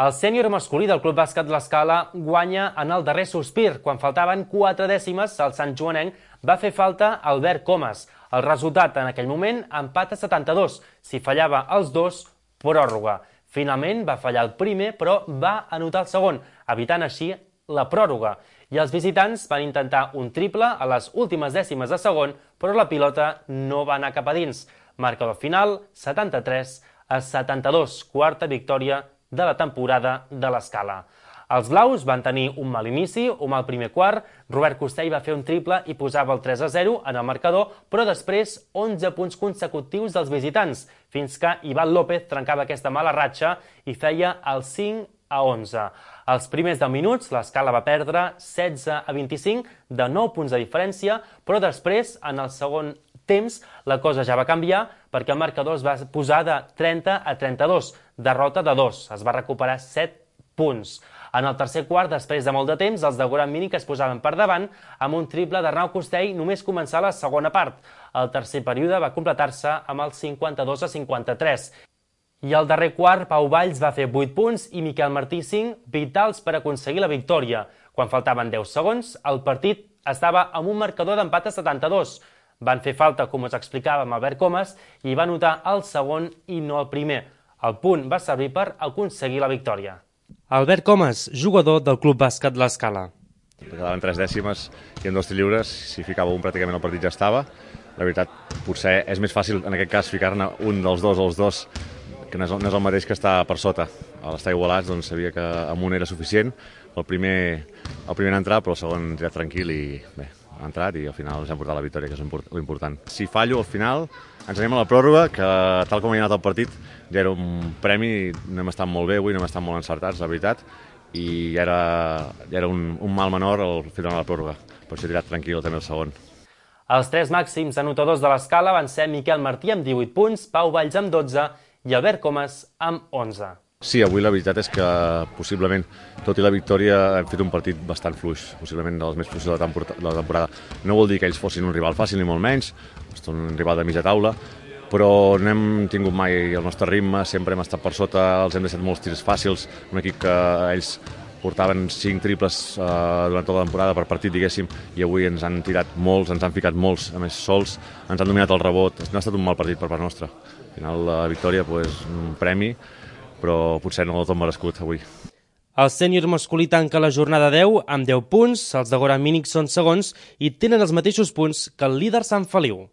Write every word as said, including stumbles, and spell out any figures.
El sènior masculí del Club Bàsquet L'Escala guanya en el darrer sospir. Quan faltaven quatre dècimes, el Sant Joanenc va fer falta Albert Comas. El resultat en aquell moment, empat a setanta-dos. Si fallava els dos, pròrroga. Finalment va fallar el primer, però va anotar el segon, evitant així la pròrroga. I els visitants van intentar un triple a les últimes dècimes de segon, però la pilota no va anar cap a dins. Marcador final, setanta-tres a setanta-dos, quarta victòria de la temporada de l'Escala. Els blaus van tenir un mal inici, un mal primer quart, Robert Costell va fer un triple i posava el tres a zero en el marcador, però després onze punts consecutius dels visitants, fins que Ivan López trencava aquesta mala ratxa i feia el cinc a onze. Els primers deu minuts l'Escala va perdre setze a vint-i-cinc, de nou punts de diferència, però després, en el segon temps, la cosa ja va canviar perquè el marcador es va posar de trenta a trenta-dos, derrota de dos, es va recuperar set punts. En el tercer quart, després de molt de temps, els de Goran Minic es posaven per davant amb un triple d'Arnau Costell només començar la segona part. El tercer període va completar-se amb el cinquanta-dos a cinquanta-tres. I al darrer quart, Pau Valls va fer vuit punts i Miquel Martí cinc, vitals per aconseguir la victòria. Quan faltaven deu segons, el partit estava amb un marcador d'empat a setanta-dos. Van fer falta, com us explicava, amb Albert Comas i va anotar el segon i no el primer. El punt va servir per aconseguir la victòria. Albert Comas, jugador del Club Bàsquet L'Escala. Quedaven tres dècimes i en dos tirs lliures, si ficava un pràcticament el partit ja estava. La veritat, potser és més fàcil en aquest cas ficar-ne un dels dos o els dos, que no és, no és el mateix que està per sota. A l'estar igualats doncs, sabia que amb un era suficient. El primer, el primer en entrar, però el segon ha tirat tranquil i bé, ha entrat i al final ens hem portat la victòria, que és l'important. Si fallo al final, ens anem a la pròrroga, que tal com ha anat el partit ja era un premi, no hem estat molt bé avui, no hem estat molt encertats, la veritat, i ja era, ja era un, un mal menor el fer a la pròrroga, per això he tirat tranquil també el segon. Els tres màxims anotadors de l'Escala van ser Miquel Martí amb divuit punts, Pau Valls amb dotze i Albert Comas amb onze. Sí, avui la veritat és que possiblement, tot i la victòria, hem fet un partit bastant fluix, possiblement dels més fluixos de la temporada. No vol dir que ells fossin un rival fàcil ni molt menys, són un rival de mitja taula, però no hem tingut mai el nostre ritme, sempre hem estat per sota, els hem deixat molts tirs fàcils, un equip que ells portaven cinc triples eh, durant tota la temporada per partit, diguéssim, i avui ens han tirat molts, ens han ficat molts, a més sols, ens han dominat el rebot, no ha estat un mal partit per part nostra. Al final la victòria, pues, un premi, però potser no del tot merescut avui. El sènior masculí tanca la jornada deu amb deu punts, els de Goran Minic són segons i tenen els mateixos punts que el líder Sant Feliu.